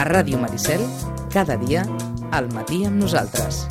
A Ràdio Maricel, cada dia, al matí amb nosaltres.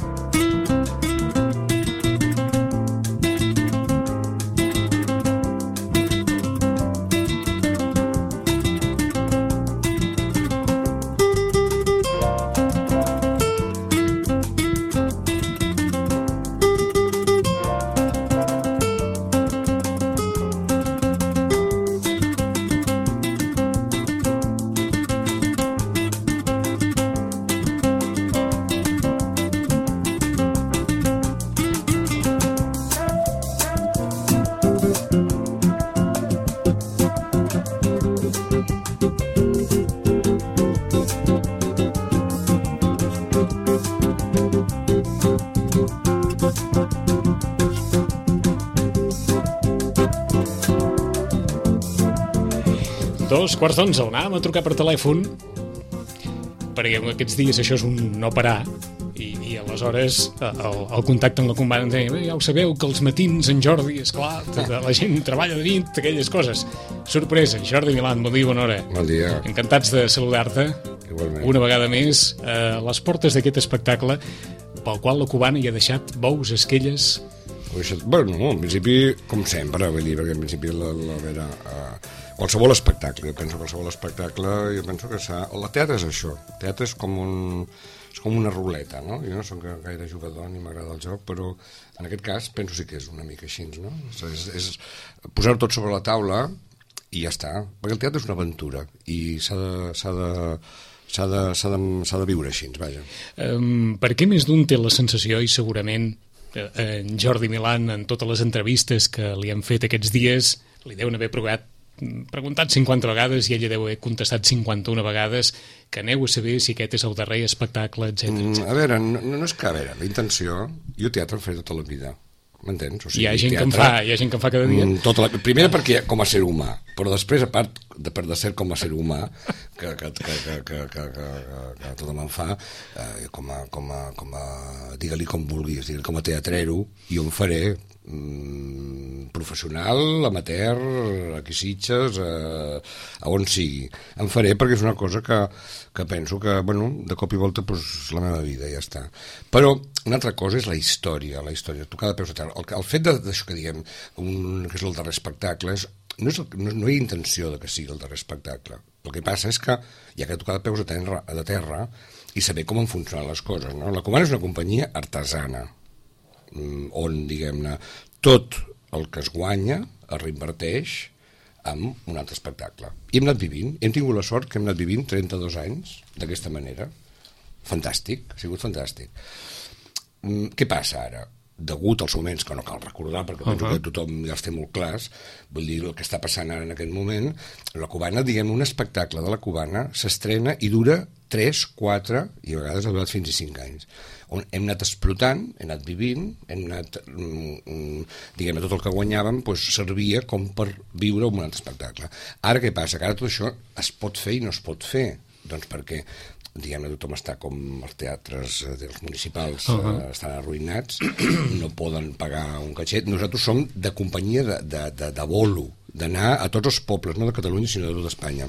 Dos quarts d'11, anàvem a trucar per telèfon perquè aquests dies això és un no parar i aleshores el contacte amb la companya ens deia, ja ho sabeu que els matins en Jordi, esclar, la gent treballa de nit, aquelles coses. Sorpresa, Jordi Milán, bon dia, bona hora. Bon dia. Encantats de saludar-te una vegada més a les portes d'aquest espectacle pel qual la cubana hi ha deixat bous, esquelles. Bueno, en principi, com sempre, vull dir, perquè en principi qualsevol espectacle, jo penso que el teatre és això, el teatre és com una ruleta, no? Jo no soc gaire jugador ni m'agrada el joc, però en aquest cas penso sí que és una mica així, no? És posar-ho tot sobre la taula i ja està, perquè el teatre és una aventura i s'ha de viure així, vaja. Per què més d'un té la sensació, i segurament en Jordi Milán, en totes les entrevistes que li han fet aquests dies, li deuen haver preguntat 50 vegades i ella deu haver contestat 51 vegades que aneu a saber si aquest és el darrer espectacle, etc. A veure, no és que, a veure, la intenció... Jo teatre em faré tota la vida, m'entens? O sigui, hi ha gent que en fa cada dia. Primera perquè com a ser humà, però després, a part de ser com a ser humà, que tot me'n fa, com a digue-li com vulguis, digue-li com a teatrero, jo em faré professional, amateur, aquí Sitges, a on sigui. Em faré perquè és una cosa que penso que, bueno, de cop i volta és la meva vida, ja està. Però una altra cosa és la història, tocar de peus a terra. El fet d'això que diguem, que és el darrer espectacle, no hi ha intenció de que sigui el darrer espectacle. El que passa és que hi ha que tocar de peus a terra i saber com han funcionat les coses, no? La Cubana és una companyia artesana, on, diguem-ne, tot el que es guanya es reinverteix en un altre espectacle. I hem tingut la sort que hem anat vivint 32 anys d'aquesta manera. Fantàstic, ha sigut fantàstic. Què passa ara? Degut als moments que no cal recordar, perquè penso que tothom ja els té molt clars, vull dir, el que està passant ara en aquest moment, la Cubana, diguem, un espectacle de la Cubana s'estrena i dura 3, 4 i a vegades ha durat fins a 5 anys. On hem anat explotant, hem anat vivint, hem anat, diguem, tot el que guanyàvem servia com per viure un altre espectacle. Ara què passa? Que ara tot això es pot fer i no es pot fer. Doncs perquè, diguem-ne, tothom està com els teatres dels municipals estan arruïnats, no poden pagar un catxet. Nosaltres som de companyia de bolo, d'anar a tots els pobles, no de Catalunya sinó de tot Espanya.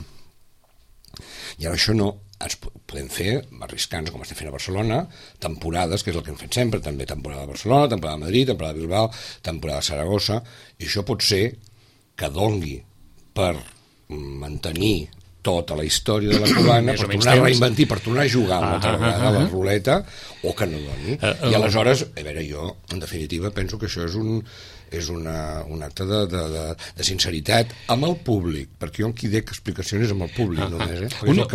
I ara això no, ens podem fer, arriscant-nos com estem fent a Barcelona, temporades, que és el que hem fet sempre, també temporada de Barcelona, temporada de Madrid, temporada de Bilbao, temporada de Saragossa, i això pot ser que dongui per mantenir tota la història de la Cubana, per tornar a reinventar, per tornar a jugar una altra vegada a la ruleta, o que no doni. I aleshores, a veure, jo, en definitiva, penso que això és un acte de sinceritat amb el públic, perquè jo qui dec explicacions amb el públic només. Una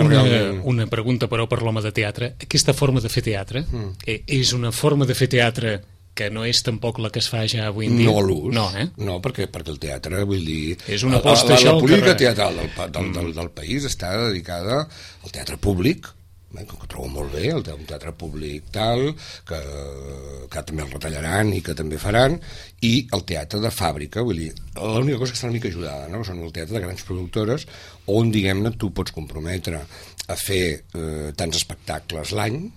pregunta, però, per l'home de teatre. Aquesta forma de fer teatre és una forma de fer teatre que no és tampoc la que es fa ja avui en dia. No l'ús. No, perquè el teatre, vull dir... És una aposta, això... La política teatral del país està dedicada al teatre públic, que ho trobo molt bé, un teatre públic tal, que també el retallaran i que també faran, i el teatre de fàbrica, vull dir, l'única cosa que està una mica ajudada, no? Són el teatre de grans productores, on, diguem-ne, tu pots comprometre a fer tants espectacles l'any,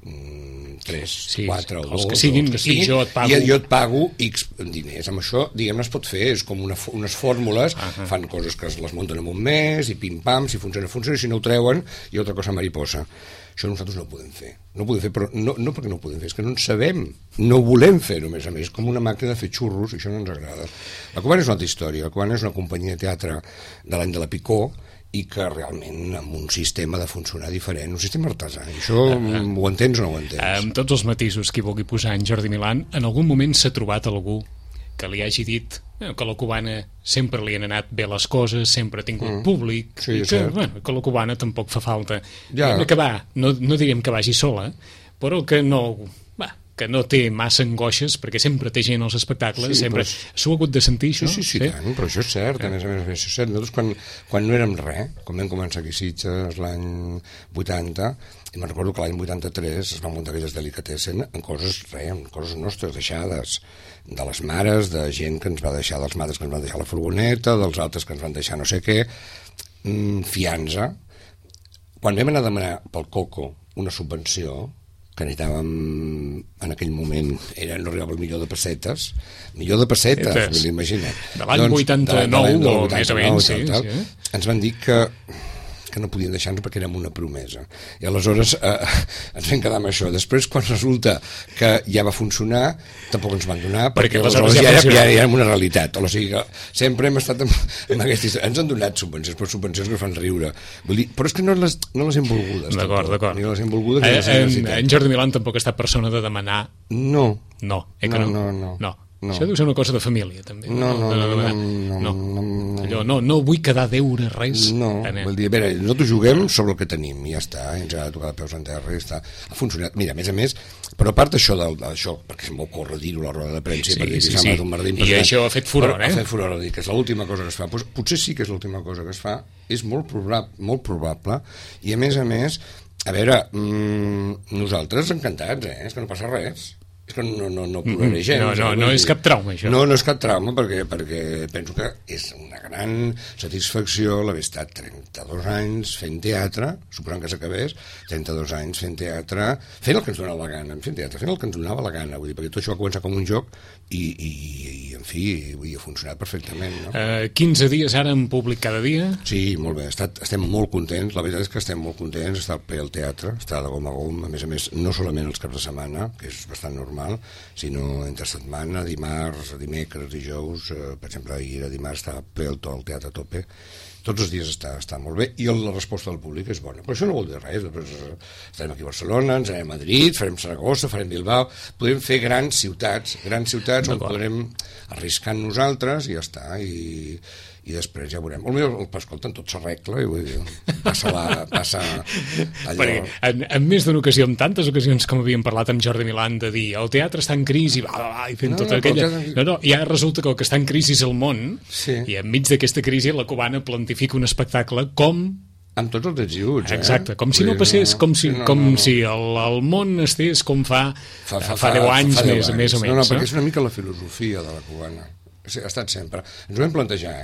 3, Sí, 4 o 2, els que siguin, i jo et pago. I jo et pago X diners. Amb això, diguem-ne, es pot fer, és com unes fórmules, fan coses que les munten en un mes, i pim-pam, si funciona, funciona, si no ho treuen, i altra cosa mariposa. Això nosaltres no ho podem fer. No ho podem fer, però no perquè no ho podem fer, és que no en sabem. No ho volem fer-ho, a més, com una màquina de fer xurros, i això no ens agrada. La Cubana és una altra història. La Cubana és una companyia de teatre de l'any de la Picó, i que realment amb un sistema de funcionar diferent, un sistema artesà. I això ho entens o no ho entens? Amb tots els matisos que hi vulgui posar en Jordi Milán, en algun moment s'ha trobat algú que li hagi dit que la Cubana sempre li han anat bé les coses, sempre ha tingut públic, sí, i que la Cubana tampoc fa falta. Ja. Que va, no diríem que vagi sola, però que no té massa angoixes, perquè sempre té gent als espectacles, sempre s'ho ha hagut de sentir, això? Sí, tant, però això és cert, a més, això és cert. Nosaltres, quan no érem res, quan vam començar aquí a Sitges l'any 80, i me'n recordo que l'any 83 es van muntar aquelles delicatessen en coses nostres, deixades, de les mares, de gent que ens va deixar, dels mares que ens van deixar la furgoneta, dels altres que ens van deixar no sé què, fiança. Quan vam anar a demanar pel Coco una subvenció, que necessitàvem en aquell moment no arribava al milió de pessetes, vull dir, imagina't. De l'any 89 o més o menys, sí. Ens van dir que no podien deixar-nos perquè érem una promesa. I aleshores ens vam quedar amb això. Després, quan resulta que ja va funcionar, tampoc ens van donar, perquè aleshores ja érem una realitat. O sigui que sempre hem estat amb aquesta història. Ens han donat subvencions, però subvencions que fan riure. Vull dir, però és que no les hem volgudes. D'acord. Ni les hem volgudes ni les hem necessitat. En Jordi Milán tampoc ha estat persona de demanar... No. No. Això deu ser una cosa de família, també. No. Allò, no vull quedar a deure res. No, vull dir, a veure, nosaltres juguem sobre el que tenim, i ja està, ens ha de tocar de peus en terra, i està. Ha funcionat. Mira, a més, però a part d'això, perquè se'm va ocórrer dir-ho a la roda de premsa, sí. I això ha fet furor, Ha fet furor, que és l'última cosa que es fa. Potser sí que és l'última cosa que es fa, és molt probable, i a més, a veure, nosaltres encantats, és que no passa res. És que no ploraré gens. No és cap trauma, això. No és cap trauma, perquè penso que és una gran satisfacció l'haver estat 32 anys fent teatre, suposant que s'acabés, 32 anys fent teatre, fent el que ens donava la gana, fent el que ens donava la gana, vull dir, perquè tot això va començar com un joc i en fi, ha funcionat perfectament, no? 15 dies ara en públic cada dia? Sí, molt bé, estem molt contents, la veritat és que estem molt contents, està ple al teatre, està de gom a gom, a més, no solament els caps de setmana, que és bastant normal, sinó entre setmana, dimarts, dimecres, dijous, per exemple, ahir a dimarts estava ple al teatre a tope, tots els dies està molt bé, i la resposta del públic és bona. Però això no vol dir res. Després estarem aquí a Barcelona, ens anem a Madrid, farem Saragossa, farem Bilbao, podem fer grans ciutats on podrem arriscar nosaltres i ja està, i després ja veurem. Escolta, tot s'arregla i vull dir, passa allò... Perquè en més d'una ocasió, en tantes ocasions com havíem parlat amb Jordi Milán, de dir el teatre està en crisi, i fent tota aquella... No, ja resulta que el que està en crisi és el món, i enmig d'aquesta crisi la Cubana plantifica un espectacle com... Amb tots els ajuts, Exacte, com si no passés, com si el món estés com fa 10 anys més o menys. No, perquè és una mica la filosofia de la Cubana. Ha estat sempre. Ens ho vam plantejar,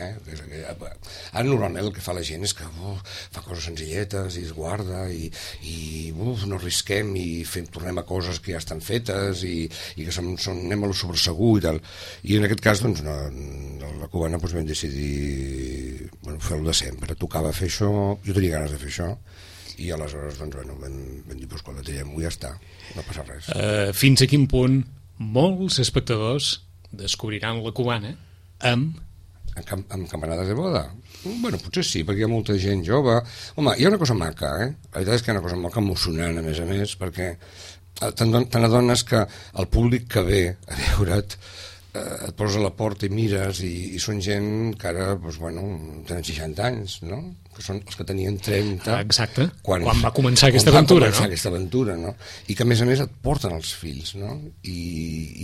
Ara normalment el que fa la gent és que fa coses senzilletes i es guarda i no arrisquem i tornem a coses que ja estan fetes i que anem a lo sobresegur i tal. I en aquest cas, doncs, la Cubana vam decidir fer-ho de sempre. Tocava fer això, jo tenia ganes de fer això, i aleshores vam dir, escolta, tirem-ho i ja està, no passa res. Fins a quin punt molts espectadors descobriran la Cubana amb campanades de boda? Potser sí, perquè hi ha molta gent jove. Home, hi ha una cosa maca, La veritat és que hi ha una cosa maca emocionant, a més, perquè te n'adones que el públic que ve a veure't et posa a la porta i mires i són gent que ara, tenen 60 anys, no? Que són els que tenien 30... Exacte, quan va començar aquesta aventura, no? I que, a més, et porten els fills, no? I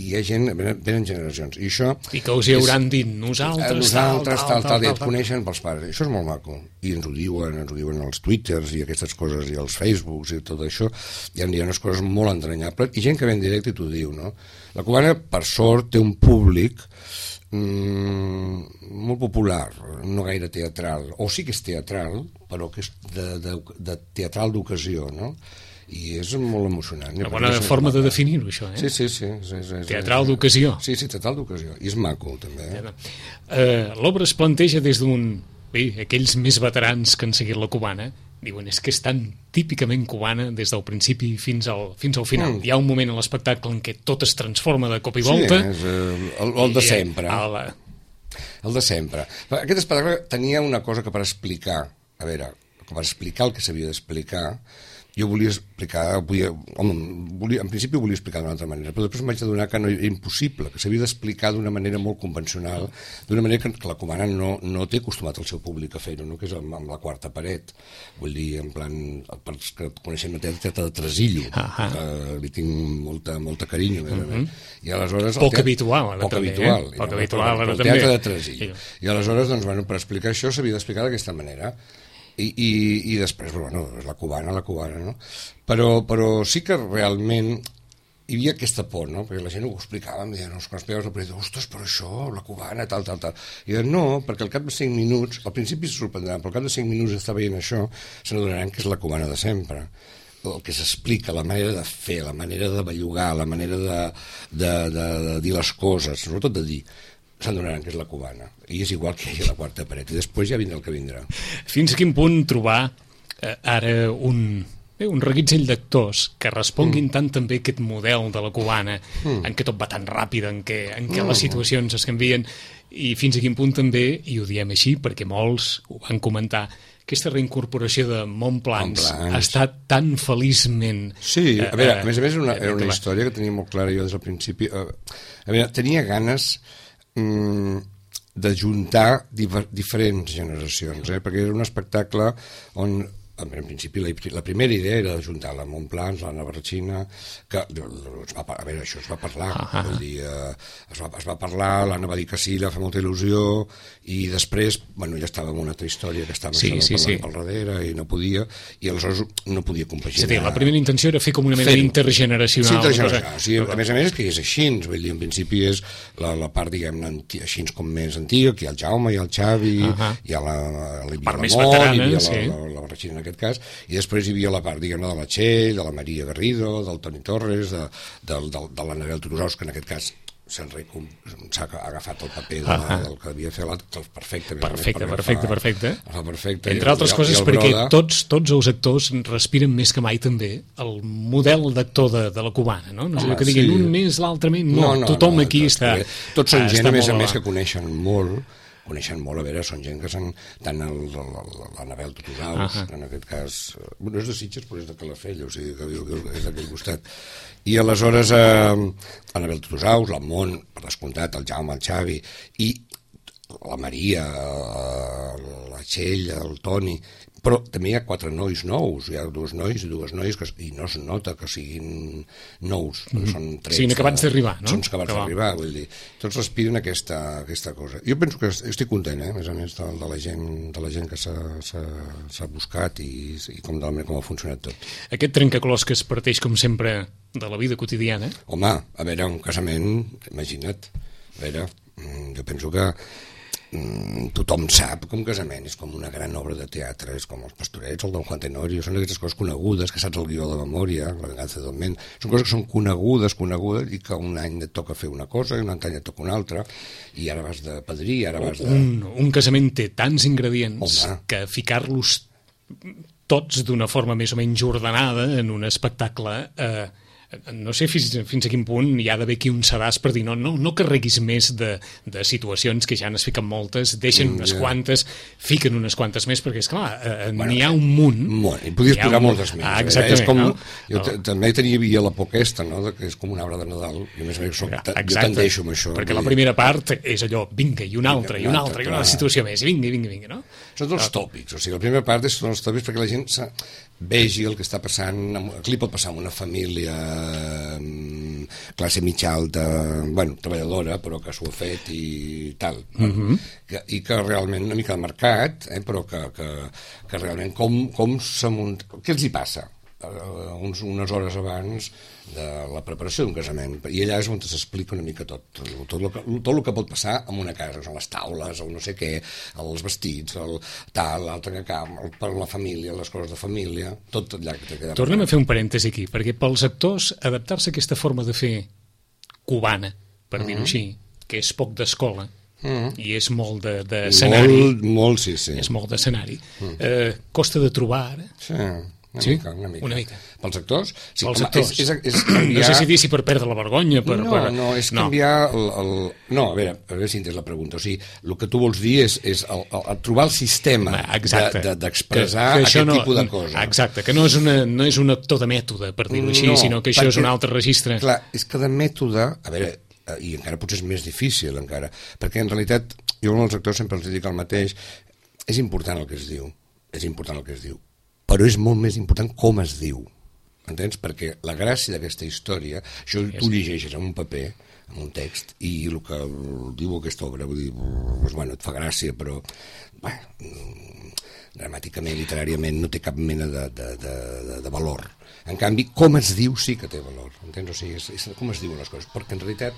hi ha gent, venen generacions. I això... I que us hi hauran dit nosaltres, tal, i et coneixen pels pares. Això és molt maco. I ens ho diuen als Twitters i aquestes coses, i als Facebooks i tot això. Hi ha unes coses molt entranyables. I gent que ve en directe i t'ho diu, no? La Cubana, per sort, té un públic molt popular, no gaire teatral, o sí que és teatral, però que és de teatral d'ocasió, no? i és molt emocionant. Una bona forma de definir-ho, això, Sí. Teatral d'ocasió. Sí, teatral d'ocasió. I és maco, també. L'obra es planteja des d'un... Bé, aquells més veterans que han seguit la cubana diuen, és que és tan típicament cubana des del principi fins al final. Hi ha un moment a l'espectacle en què tot es transforma de cop i volta. Sí, és el de sempre. El de sempre. Aquest espectacle tenia una cosa que per explicar, el que s'havia d'explicar, jo volia explicar, en principi ho volia explicar d'una altra manera, però després em vaig adonar que no era impossible, que s'havia d'explicar d'una manera molt convencional, d'una manera que la cubana no té acostumat el seu públic a fer-ho, no? Que és amb la quarta paret. Vull dir, en plan, els que coneixem la teatre de Tresillo, que li tinc molta carinyo, i aleshores... Poc habitual, ara també. Poc habitual, ara també. El teatre de Tresillo. I aleshores, doncs, per explicar això s'havia d'explicar d'aquesta manera. I després, és la cubana, no? Però sí que realment hi havia aquesta por, no? Perquè la gent ho explicava, em deien, quan explicaves el periodista, ostres, però això, la cubana, tal. I deien, no, perquè al cap de 5 minuts, al principi se sorprendran, però al cap de 5 minuts d'estar veient això, se n'adonaran que és la cubana de sempre. El que s'explica, la manera de fer, la manera de bellugar, la manera de dir les coses, sobretot de dir, s'adonaran que és la cubana, i és igual que hi hagi la quarta paret, i després ja vindrà el que vindrà. Fins a quin punt trobar ara un reguitzell d'actors que responguin tant també aquest model de la cubana, en què tot va tan ràpid, en què les situacions es canvien, i fins a quin punt també, i ho diem així perquè molts ho van comentar, aquesta reincorporació de Montplans ha estat tan feliçment... Sí, a més era una història que tenia molt clara jo des del principi. Tenia ganes d'ajuntar diferents generacions, perquè era un espectacle on, en principi, la primera idea era d'ajuntar la Montplans, la Navarretxina, que això es va parlar, vull dir, es va parlar, l'Anna va dir que sí, li va fer molta il·lusió, i després, ja estava en una altra història que estava parlant pel darrere i no podia, i aleshores no podia compaginar. Sí, la primera intenció era fer com una mena d'intergeneracional. Sí, a més és que és així, vull dir, en principi és la part, diguem-ne, així com més antiga, que hi ha el Jaume, hi ha el Xavi, hi ha la Mont, hi havia la Barretxina en aquest cas, i després hi havia la part, diguem-ne, de la Txell, de la Maria Garrido, del Toni Torres, de l'Anabel Turosaus, que en aquest cas s'ha agafat el paper del que havia fet perfecte. Entre altres coses perquè tots els actors respiren més que mai també el model d'actor de la cubana, no? No sé que diguin un més, l'altre menys, tothom aquí està... Tots són gent, a més que coneixen molt, a veure, són gent que són tant l'Anabel Turosaus, en aquest cas, no és de Sitges però és de Calafell, o sigui que és d'aquell costat, i aleshores l'Anabel Turosaus, la Mont, per descomptat, el Jaume, el Xavi, i la Maria, la Txell, el Toni, però també hi ha 4 nois nous, hi ha 2 nois i 2 noies i no es nota que siguin nous, són trets. Siguin acabats d'arribar, no? Són acabats d'arribar, vull dir. Tots respiren aquesta cosa. Jo penso que estic content, a més a més, de la gent que s'ha buscat i com ha funcionat tot. Aquest trencaclòs que es parteix, com sempre, de la vida quotidiana. Home, a veure, un casament, imagina't, a veure, jo penso que tothom sap que un casament és com una gran obra de teatre, és com els Pastorets, el Don Juan Tenorio, són aquestes coses conegudes, que saps el guió de memòria, la venganza del ment, són coses que són conegudes, i que un any et toca fer una cosa i un altre any et toca una altra, i ara vas de padrí, ara vas de... Un casament té tants ingredients que ficar-los tots d'una forma més o menys ordenada en un espectacle... no sé fins a quin punt hi ha d'haver aquí un sedàs per dir no carreguis més de situacions que ja n'es fiquen moltes, deixen unes quantes, fiquen unes quantes més, perquè esclar, n'hi ha un munt. I podies posar moltes més. Exactament. Jo també tenia la por aquesta, que és com un arbre de Nadal, i a més jo tendeixo amb això. Perquè la primera part és allò, vinga, i una altra, i una situació més, i vinga, no? Són els tòpics, o sigui, la primera part són els tòpics perquè la gent vegi el que està passant, aquí pot passar en una família classe mitja alta, treballadora, però que s'ho ha fet i tal, i que realment una mica de mercat, però que realment com s'ha muntat, què els hi passa? unes hores abans de la preparació d'un casament, i allà és on s'explica una mica tot el que pot passar en una casa, les taules, el no sé què, els vestits, el tal, l'altre que cam, per la família, les coses de família, tot allà que t'ha quedat. Tornem a fer un parèntesi aquí, perquè pels actors adaptar-se a aquesta forma de fer cubana, per dir-ho així, que és poc d'escola, i és molt d'escenari. Molt, sí. És molt d'escenari. Costa de trobar ara. Sí, una mica. Pels actors? Sí, pels actors. És canviar... No sé si dir si per perdre la vergonya... No, és canviar... No, a veure si entens la pregunta. O sigui, el que tu vols dir és trobar el sistema d'expressar aquest tipus de cosa. Exacte, que no és un actor de mètode, per dir-ho així, sinó que això és un altre registre. Clar, és que de mètode... A veure, i encara potser és més difícil, encara, perquè en realitat jo als actors sempre els dic el mateix, és important el que es diu, però és molt més important com es diu, entens? Perquè la gràcia d'aquesta història, això tu llegeixes en un paper, en un text, i el que diu aquesta obra, vull dir, doncs, bueno, et fa gràcia, però dramàticament, literàriament, no té cap mena de valor. En canvi, com es diu sí que té valor, entens? O sigui, és com es diuen les coses, perquè en realitat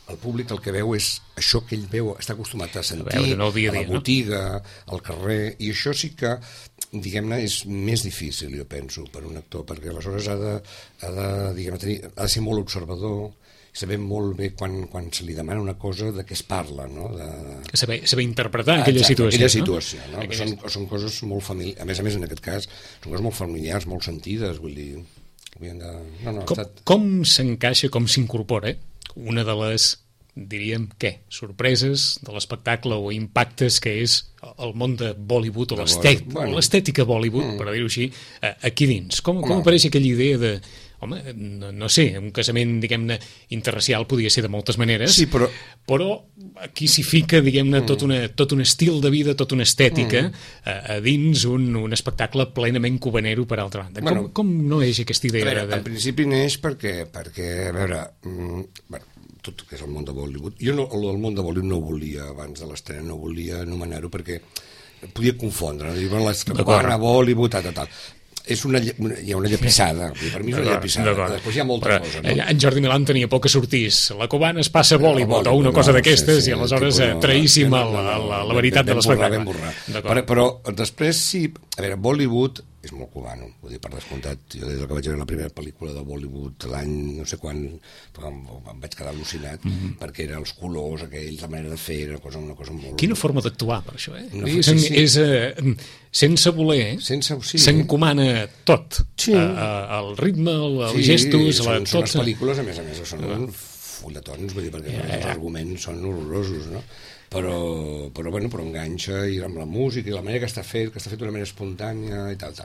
el públic el que veu és això que ell veu, està acostumat a sentir, a la botiga, al carrer, i això sí que, diguem-ne, és més difícil, jo penso, per un actor, perquè aleshores ha de ser molt observador, saber molt bé quan se li demana una cosa de què es parla, no? Saber interpretar aquella situació. No? Són coses molt familiars, a més en aquest cas, són coses molt familiars, molt sentides, vull dir... Com s'encaixa, com s'incorpora una de les, diríem, sorpreses de l'espectacle o impactes que és el món de Bollywood o l'estètica Bollywood, per dir-ho així, aquí dins? Com apareix aquella idea de... Home, no sé, un casament, diguem-ne, interracial podia ser de moltes maneres, sí, però aquí s'hi fica, diguem-ne, tot un estil de vida, tota una estètica a dins un espectacle plenament cubanero, per altra banda. Com no és aquesta idea? En principi neix perquè a veure, tot que és el món de Bollywood, jo el món de Bollywood no volia, abans de l'estrena, no volia anomenar-ho perquè podia confondre, dir, la Bollywood, tal. Hi ha una llepissada, per mi és una llepissada, després hi ha molta cosa. No? En Jordi Milán tenia por que sortís la cubana es passa a Bollywood o una cosa d'aquestes, i aleshores traïssim la veritat de l'espectacle. Però després sí, a veure, Bollywood és molt cubano, vull dir, per descomptat. Jo des que vaig veure la primera pel·lícula de Bollywood l'any no sé quan, em vaig quedar al·lucinat, perquè eren els colors aquells, la manera de fer, una cosa molt... Quina forma d'actuar, per això, És sense voler, s'encomana tot, el ritme, els gestos, són les pel·lícules, a més, són fulletons, vull dir, perquè els arguments són horrorosos, no? Però enganxa, i amb la música i la manera que està fet d'una manera espontània i tal.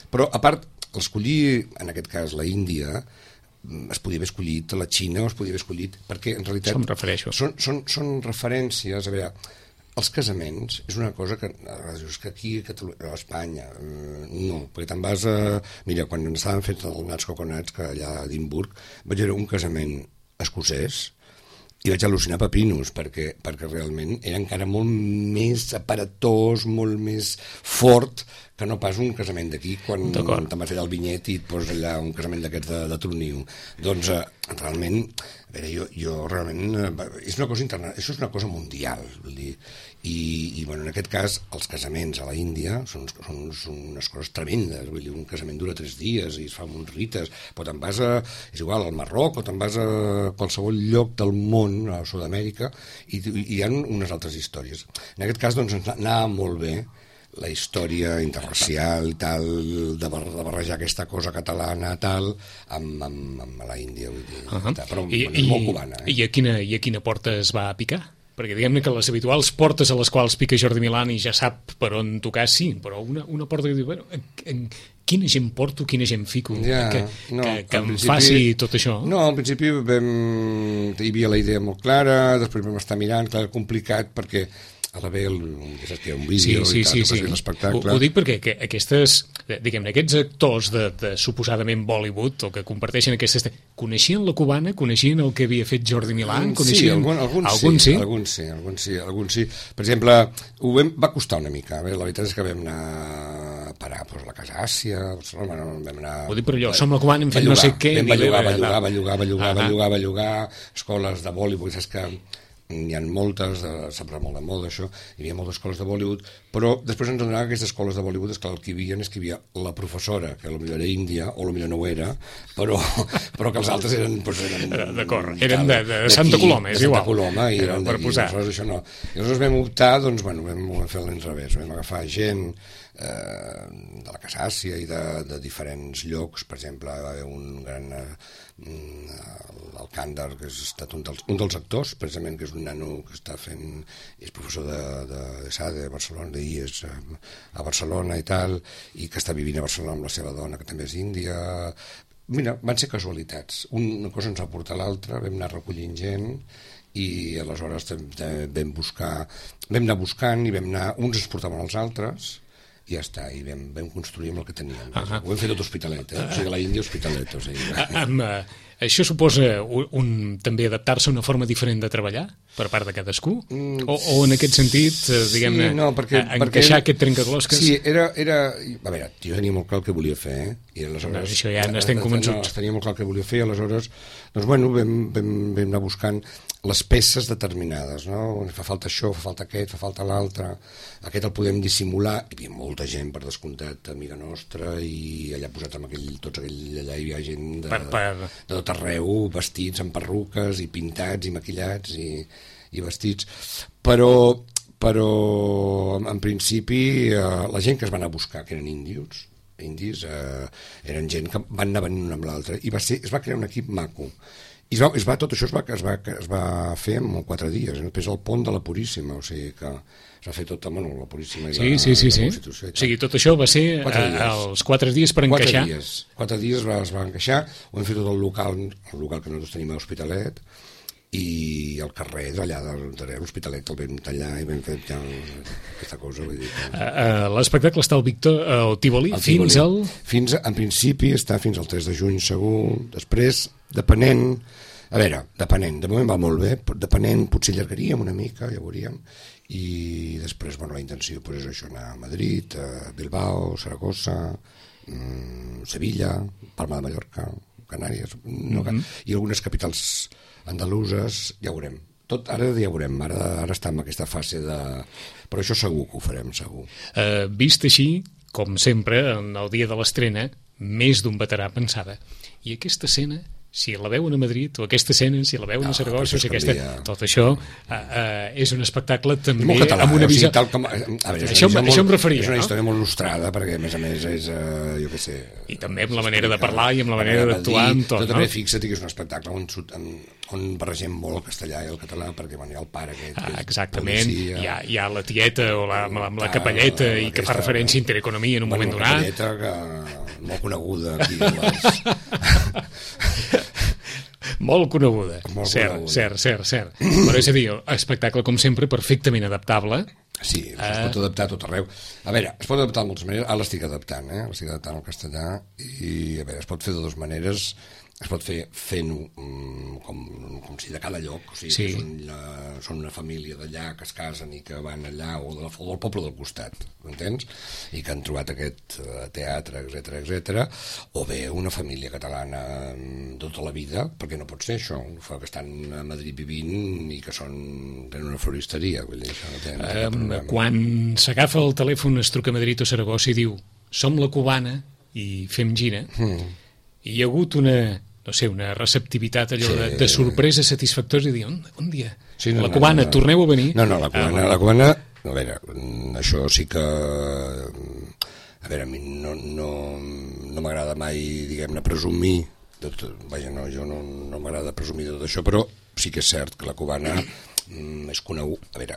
Però a part, escollir en aquest cas la Índia, es podia haver escollit la Xina, o es podia haver escollit, perquè en realitat són referències. A veure, els casaments és una cosa que aquí a Espanya no, perquè te'n vas a... Mira, quan estaven fent els nats coconats, que allà a Edimburg vaig veure un casament escocès i vaig al·lucinar pepinos, perquè realment era encara molt més aparatós, molt més fort que no pas un casament d'aquí, quan te'n vas fer el vinyet i et poses allà un casament d'aquests de tronil. Doncs realment, a veure, jo realment... És una cosa interna, això és una cosa mundial, vull dir, i bueno, en aquest cas els casaments a la Índia són unes coses tremendes, vull dir, un casament dura 3 dies i es fa amb uns rites, però te'n vas és igual, al Marroc, o te'n vas a qualsevol lloc del món, a Sud-amèrica, i hi ha unes altres històries. En aquest cas, doncs, anava molt bé la història interracial i tal, de barrejar aquesta cosa catalana tal, amb la Índia, vull dir, però és molt cubana. I a quina porta es va picar? Perquè diguem-ne que les habituals portes a les quals pica Jordi Milán i ja sap per on tocar, sí, però una porta que diu, bueno, quina gent porto, quina gent fico, que em faci tot això? No, al principi hi havia la idea molt clara, després vam estar mirant, clar, complicat, perquè a la ve un vídeo i tal, l'espectacle. Ho dic perquè aquests actors de suposadament Bollywood, o que comparteixen aquestes... Coneixien la cubana? Coneixien el que havia fet Jordi Milán? Sí, alguns sí. Per exemple, va costar una mica. La veritat és que vam anar a parar. fos a la Casa Àsia, a Barcelona, vam anar... Ho dic per allò, som la cubana, hem fet no sé què... Va llogar, escoles de Bollywood, saps que n'hi ha moltes, s'ha parlat molt de molt d'això, hi havia moltes escoles de Bollywood, però després ens adonava que aquestes escoles de Bollywood, és que el que hi havia la professora, que potser era índia, o potser no ho era, però que els altres eren... D'acord, eren de Santa Coloma, és igual. De Santa Coloma, i eren per posar. Aleshores això no. I aleshores vam optar, doncs, vam fer l'inrevés, vam agafar gent de la Casa Àsia i de diferents llocs. Per exemple, va haver un gran Alcàndar, que ha estat un dels actors, precisament, que és un nano que està fent, és professor de SADE a Barcelona, d'IES a Barcelona i tal, i que està vivint a Barcelona amb la seva dona, que també és índia. Mira, van ser casualitats, una cosa ens va portar l'altra, vam anar recollint gent, i aleshores vam anar buscant, i uns es portaven als altres, i ja està, i vam construir amb el que teníem. Ho hem fet tot Hospitalet, o sigui, a la Índia Hospitalet. O sigui. Això suposa també adaptar-se a una forma diferent de treballar per part de cadascú? O en aquest sentit, diguem-ne, encaixar aquest trencaclosques? Sí, era... A veure, jo tenia molt clar el que volia fer, i aleshores... Això ja n'estem convençuts. Tenia molt clar el que volia fer, aleshores, doncs, bueno, vam anar buscant les peces determinades, no? Fa falta això, fa falta aquest, fa falta l'altre, aquest el podem dissimular. Hi havia molta gent, per descomptat, amiga nostra, i allà posats amb tots aquell allà hi havia gent de tot arreu, vestits amb perruques i pintats i maquillats i vestits, però en principi la gent que es va anar a buscar, que eren indis, eren gent que van anar venint una amb l'altra, i es va crear un equip maco. I tot això es va fer en 4 dies, després el pont de la Puríssima, o sigui que es va fer tot amb la Puríssima i la Constitució. O sigui, tot això va ser els 4 dies per encaixar? 4 dies es va encaixar, ho hem fet tot el local que nosaltres tenim a Hospitalet, i el carrer d'allà de l'Hospitalet el vam tallar i vam fer ja aquesta cosa. L'espectacle està al Tívoli fins al... En principi està fins al 3 de juny segur, després depenent, de moment va molt bé, depenent potser allargaríem una mica, ja veuríem, i després la intenció és això, anar a Madrid, a Bilbao, Saragossa, Sevilla, Palma de Mallorca, Canàries, i algunes capitals andaluses, ja ho veurem. Ara ja ho veurem, ara està en aquesta fase de... Però això segur que ho farem, segur. Vist així, com sempre, en el dia de l'estrena, més d'un veterà pensava, i aquesta escena, si la veuen a Madrid, o aquesta escena, si la veuen a Saragossa, tot això és un espectacle també català, amb una visió... Això em referia. És una història molt il·lustrada, perquè a més és, jo què sé... I també amb la manera de parlar i amb la manera d'actuar, amb tot, no? També fixa't que és un espectacle on barregem molt el castellà i el català, perquè hi ha el pare aquest, que és exactament, policia... hi ha la tieta o amb la capelleta i que fa referència a intereconomia en un moment donat. La capelleta, molt coneguda aquí. Molt coneguda. Cert. Però és a dir, espectacle, com sempre, perfectament adaptable. Sí, es pot adaptar a tot arreu. A veure, es pot adaptar de moltes maneres. Ara l'estic adaptant, l'estic adaptant al castellà, i a veure, es pot fer de dues maneres. Es pot fer fent-ho com si de cada lloc, o sigui, que són una família d'allà que es casen i que van allà, o del poble del costat, m'entens? I que han trobat aquest teatre, etc. O bé una família catalana tota la vida, perquè no pot ser això, que estan a Madrid vivint i que tenen una floristeria. Vull dir, això no tenen quan s'agafa el telèfon, es truca a Madrid o Saragossa i diu, som la cubana i fem gira, i hi ha hagut una receptivitat allò de sorpresa satisfactòria, i dir, un dia, la cubana, torneu a venir? No, la cubana, a veure, això sí que, a veure, a mi no m'agrada mai, diguem-ne, presumir, vaja, no, jo no m'agrada presumir de tot això, però sí que és cert que la cubana és conegut, a veure,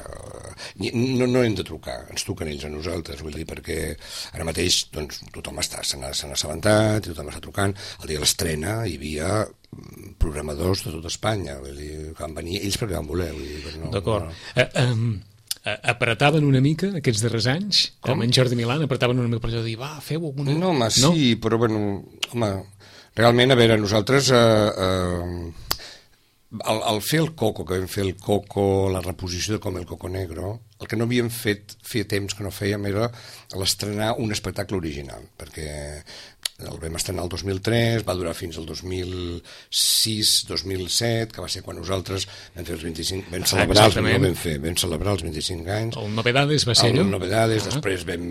no hem de trucar, ens truquen ells a nosaltres, vull dir, perquè ara mateix doncs, tothom se n'ha assabentat, tothom està trucant, el dia de l'estrena hi havia programadors de tot Espanya, vull dir, que van venir ells perquè van voler, vull dir, no. D'acord. Apretaven una mica aquests darrers anys? Com en Jordi Milán apretaven una mica per allò de dir, va, feu alguna... No, home, sí, però bueno, home, realment, a veure, nosaltres al fer el Coco, que vam fer el Coco, la reposició de Com el Coco Negro, el que no havíem fet, feia temps que no fèiem, era l'estrenar un espectacle original, perquè el vam estrenar el 2003, va durar fins al 2006-2007, que va ser quan nosaltres vam fer els 25, vam celebrar els 25 anys. El Novedades va ser allò? El Novedades, després vam...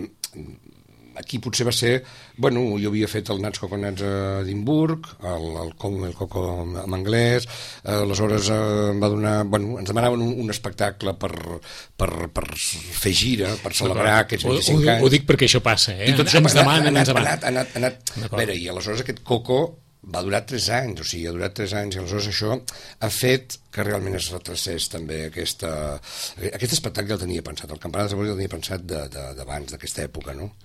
Aquí potser va ser... Bueno, jo havia fet el Nats Coconats a Edimburg, el Coco en anglès, aleshores em va donar... Bueno, ens demanaven un espectacle per fer gira, per celebrar aquests 25 anys. Ho dic perquè això passa, eh? Ens demanen, ens demanen. A veure, i aleshores aquest Coco va durar 3 anys, o sigui, ha durat 3 anys, i aleshores això ha fet que realment es retracés també aquest espectacle el tenia pensat, el Campanar de Sabors el tenia pensat d'abans, d'aquesta època, no?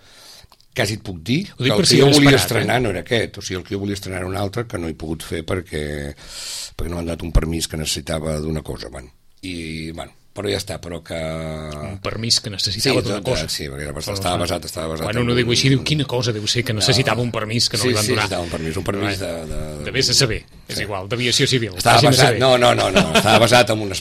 Quasi et puc dir que el que jo volia estrenar no era aquest, o sigui, el que jo volia estrenar era un altre que no he pogut fer perquè no m'han donat un permís que necessitava d'una cosa, bueno. I, bueno, però ja està, però que... Un permís que necessitava d'una cosa. Sí, perquè estava basat... Bueno, no diu així, diu, quina cosa deu ser que necessitava un permís que no li van donar. Sí, necessitava un permís de vés a saber, és igual, d'aviació civil. Estava basat, no, estava basat en un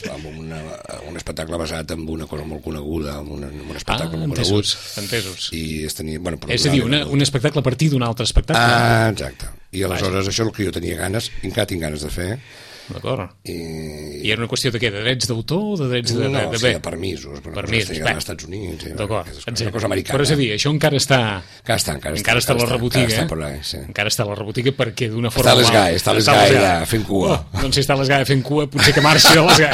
espectacle basat en una cosa molt coneguda, en un espectacle molt conegut. Entesos. I es tenia... Bueno, és a dir, un espectacle a partir d'un altre espectacle. Exacte. I aleshores això és el que jo tenia ganes, encara tinc ganes de fer. D'acord. I era una qüestió de què? De drets d'autor o de drets de... No, sí, de permisos. Permisos, als Estats Units. D'acord. Una cosa americana. Però és a dir, això encara està... Encara està a la rebotiga. Encara està a la rebotiga perquè d'una forma... Està a l'Esgai allà fent cua. Doncs si està a l'Esgai fent cua, potser que marxi a l'Esgai.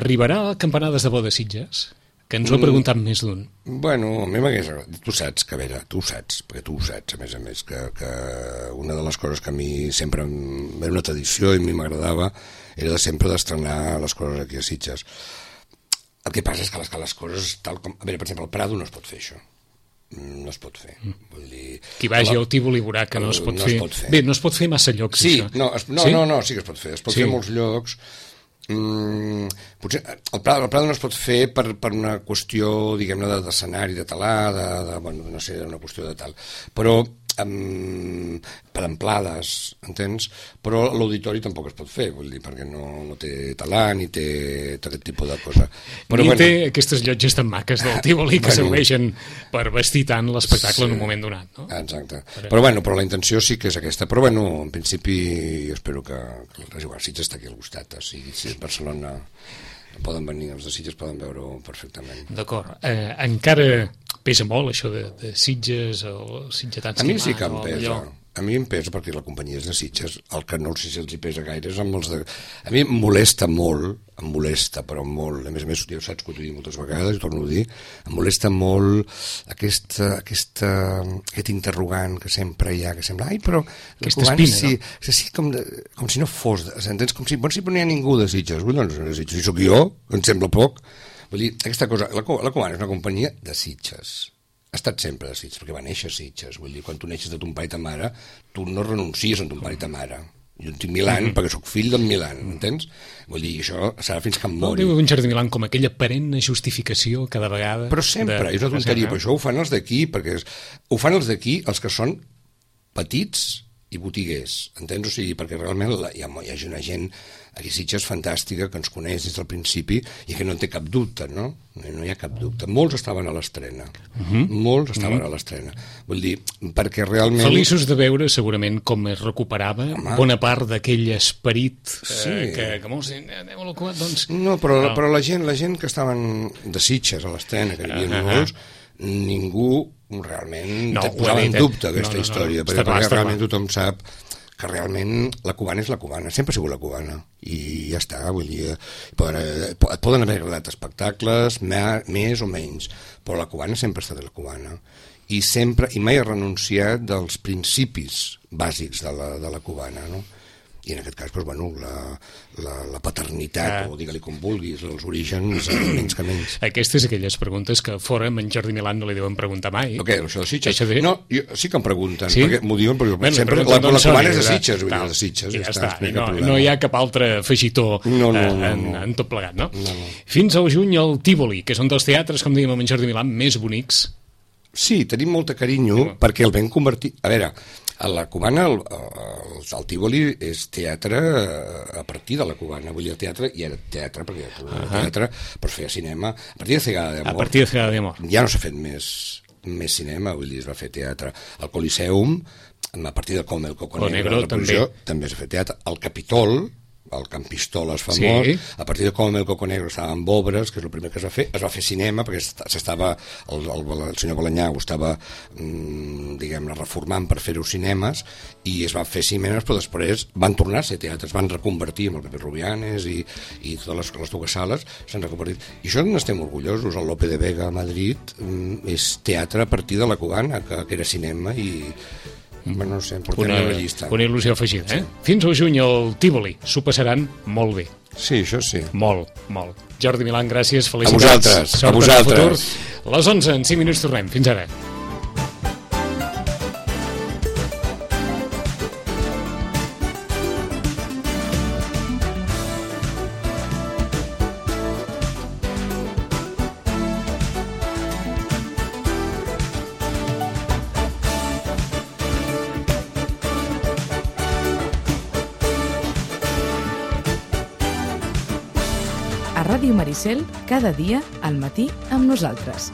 Arribarà a Campanades de Bo de Sitges? Que ens ho ha preguntat més d'un. Bueno, a mi m'hagués agradat. Tu saps, que a veure, tu ho saps, perquè tu ho saps, a més, que una de les coses que a mi sempre era una tradició i a mi m'agradava era de sempre d'estrenar les coses aquí a Sitges. El que passa és que les coses, tal com... A veure, per exemple, al Prado no es pot fer això. No es pot fer. Vull dir... Qui vagi al Tívoli veurà que no es pot fer. Bé, no es pot fer massa llocs, sí, això. Sí que es pot fer. Es pot fer a molts llocs. Potser el Prado no es pot fer per una qüestió, diguem-ne, d'escenari, de talar, no sé, una qüestió de tal, però per amplades, entens? Però l'auditori tampoc es pot fer, vull dir, perquè no té talar ni té tot aquest tipus de cosa. Però, té aquestes llotges tan maques del Tívoli que serveixen per vestir tant l'espectacle en un moment donat, no? Exacte. Però la intenció sí que és aquesta. Però en principi jo espero que Sitges està aquí al costat, o sigui, si és Barcelona poden venir, els de Sitges poden veure-ho perfectament. D'acord. Encara pesa molt això de Sitges o sitgetans? A mi sí que em pesa. A mi em pesa perquè la companyia és de Sitges. El que no sé si els hi pesa gaire és amb els de... A mi em molesta molt, però molt. A més, ja ho saps que ho he dit moltes vegades, i torno a dir, em molesta molt aquest interrogant que sempre hi ha, que sembla, però... Aquesta espina, sí, no? Sí, com si no fos... Entens? Com si no hi ha ningú de Sitges. Doncs de Sitges. Si sóc jo, em sembla poc. Vull dir, aquesta cosa... La Cubana és una companyia de Sitges. Ha estat sempre de Sitges, perquè va néixer a Sitges. Vull dir, quan tu neixes de ton pare i ta mare, tu no renuncies a ton pare i ta mare. Jo en tinc Milan perquè sóc fill d'en Milan, entens? Vull dir, això serà fins que em mori. Diu en Jordi Milan com aquella perenne justificació cada vegada... Però sempre, és una tonteria, però això ho fan els d'aquí, perquè ho fan els d'aquí, els que són petits i botiguers, entens? O sigui, perquè realment hi ha una gent aquí a Sitges fantàstica que ens coneix des del principi i que no en té cap dubte, no? No hi ha cap dubte. Molts estaven a l'estrena. Molts estaven a l'estrena. Vull dir, perquè realment... Feliços de veure segurament com es recuperava bona part d'aquell esperit que molts anem a l'ocupat, doncs... No, però la gent que estaven de Sitges a l'estrena, que hi havia molts, ningú realment posava en dubte aquesta història, perquè realment tothom sap que realment la cubana és la cubana, sempre ha sigut la cubana, i ja està, vull dir, et poden haver agradat espectacles, més o menys, però la cubana sempre ha estat la cubana, i mai ha renunciat dels principis bàsics de la cubana, no? I en aquest cas, doncs, bueno, la paternitat, o digue-li com vulguis, els orígens, menys que menys. Aquestes aquelles preguntes que fora amb en Jordi Milan no li deuen preguntar mai. Què, això de Sitges? No, sí que em pregunten, perquè m'ho diuen, perquè sempre la cubana és de Sitges, vull dir, de Sitges. Ja està, no hi ha cap altre afegitó en tot plegat, no? Fins al juny al Tívoli, que són dels teatres, com dèiem amb en Jordi Milan, més bonics. Sí, tenim molta carinyo perquè el vam convertir... A veure, A la Cubana, el Tívoli és teatre a partir de la Cubana. Vull dir, el teatre, i era teatre, perquè el teatre pues, feia cinema. A partir de Cegada de Amor. A partir de Cegada de Amor. Ja no s'ha fet més cinema, vull dir, es va fer teatre. El Coliseum, a partir de Com el Coco Negro, també s'ha fet teatre. El Capitol, el Camp Pistoles famós, sí. A partir de Com el Coco Negro estava amb obres, que és el primer que es va fer cinema, perquè s'estava, el senyor Balanyà ho estava, diguem-ne, reformant per fer-ho cinemes, i es van fer cinemes, però després van tornar a ser teatres, van reconvertir amb el Pepe Rubianes i totes les dues sales s'han reconvertit. I això n'estem orgullosos. El Lope de Vega a Madrid és teatre a partir de la Cubana, que era cinema, i bueno, no sé, portem una llista. Una il·lusió afegida, eh? Fins al juny al Tívoli s'ho passaran molt bé. Sí, això sí. Molt, molt. Jordi Milán, gràcies, felicitats. A vosaltres, a vosaltres. Les 11, en 5 minuts tornem. Fins ara. A Ràdio Maricel, cada dia al matí amb nosaltres.